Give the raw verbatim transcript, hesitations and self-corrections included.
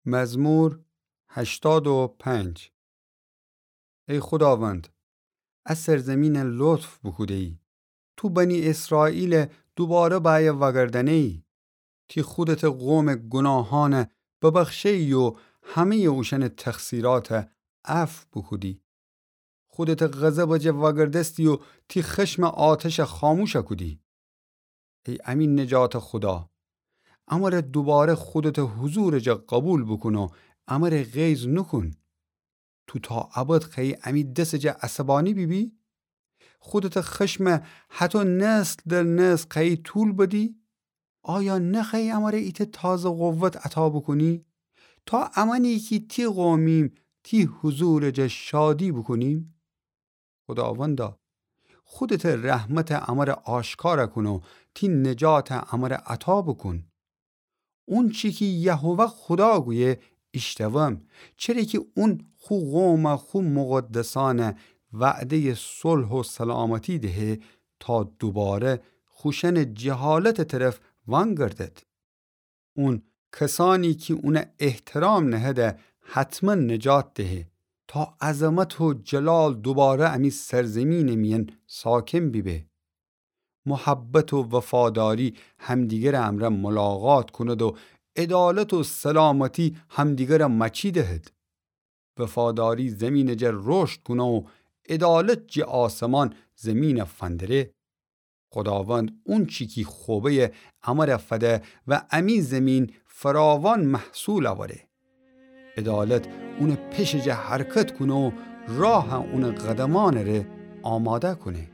مزمور هشتاد و پنج. ای خوداوند، ا سرزمینَ لطف بوکوده‌یی. تو بنی اسرائیلَ دوباره بأیه وأگردأنه‌یی. تی خودتٚ قومٚ گوناهأنَ ببخشه‌یی و همه‌یٚ اوشأنٚ تقصیراتَ عفو بوکودی. خودتٚ غضبٚ جا وأگردستی و تی خشمٚ آتشَ خاموش کودی. ای امی نجاتٚ خودا، امره دوباره خودتٚ حضورٚ جا قوبیل بوکون و امره غیظ نوکون. تو تا ابد خوأیی امی دسٚ جا عصبانی بیبی؟ خودتٚ خشمَ هطو نسل در نسل خوأیی طول بدی؟ آیا نخوأیی امره ایتأ تازه قوت عطا بوکونی، تا امأنی کی تی قومیم تی حضورٚ جا شادی بوکونیم؟ خوداوندا، خودتٚ رحمتَ امره آشکار کون و تی نجاتَ امره عطا بوکون. اونچی کی یهوه خودا گویه ایشتوم، چره کی اون خو قومَ خو مقدسأنَ وعده‌یٚ صلح و سلامتی دهه تا دوباره خوشأنٚ جهالتٚ طرف وأنگردد. اون کسأنی کی اونَ احترام نهده حتما نجات دهه تا عظمت و جلال دوباره امی سرزمینٚ میأن ساکن بیبه. محبت و وفاداری همدیگرٚ امرأ ملاقات کند و عدالت و سلامتی همدیگرٚ مأچی دهد. وفاداری زمینٚ جا رشد کونه و عدالت جٚه آسمان زمینَ فندره. خوداوند اونچی کی خوبه‌یه امره فده و امی زمین فراوان محصول اوره. عدالت اونٚ پشٚ جا حرکت کونه و راهَ اونٚ قدمأنٚ ره آماده کونه.